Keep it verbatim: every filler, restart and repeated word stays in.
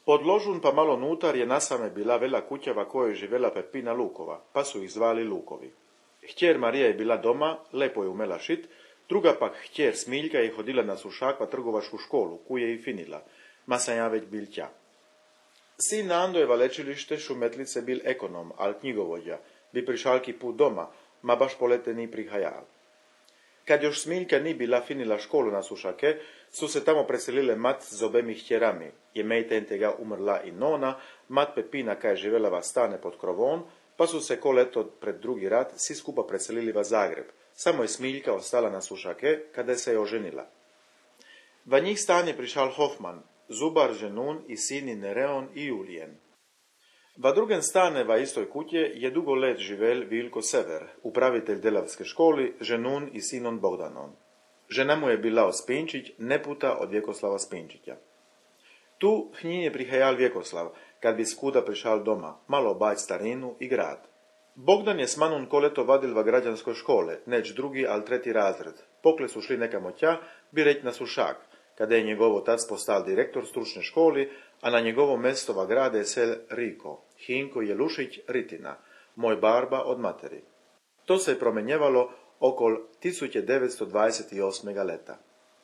Pod ložun pa malo nutar je nasame bila vela kućava kojoj živela Pepina Lukova, pa su ih zvali Lukovi. Htjer Marija je bila doma, lepo je umela šit, druga pak htjer Smiljka je hodila na Sušak pa trgovačku školu, kuje i finila, ma sam ja već bil tja. Sin Andojeva lečilište Šumetlice bil ekonom, al knjigovodja, bi prišalki put doma, ma baš polete ni prihajal. Kad još Smiljka ni bila finila školu na Sušake, su se tamo preselile mat z obemi htjerami. Je mejten tega umrla i nona, mat Pepina kaj živela va stane pod krovom, pa su se ko leto pred drugi rat svi skupa preselili va Zagreb. Samo je Smiljka ostala na Sušake, kada se je oženila. Va njih stanje prišal Hofman, zubar ženun i sini Nereon i Julijen. Va drugem stane va istoj kutje je dugo let živel Vilko Sever, upravitelj delavske školi, ženun i sinon Bogdanon. Žena mu je bila Ospinčić, neputa od Vjekoslava Spinčića. Tu h njim je prihajal Vjekoslav, kad bi skuda prišal doma, malo bać starinu i grad. Bogdan je s manun koleto vadil va građanskoj škole, neć drugi, al treti razred. Pokle su šli nekamo tja, bi reć na Sušak, kada je njegov otac postal direktor stručne školi, a na njegovo mesto va grade sel Riko, Hinko Jelušić Ritina, moj barba od materi. To se je promenjevalo okol tisuće devetsto dvadeset osmega leta.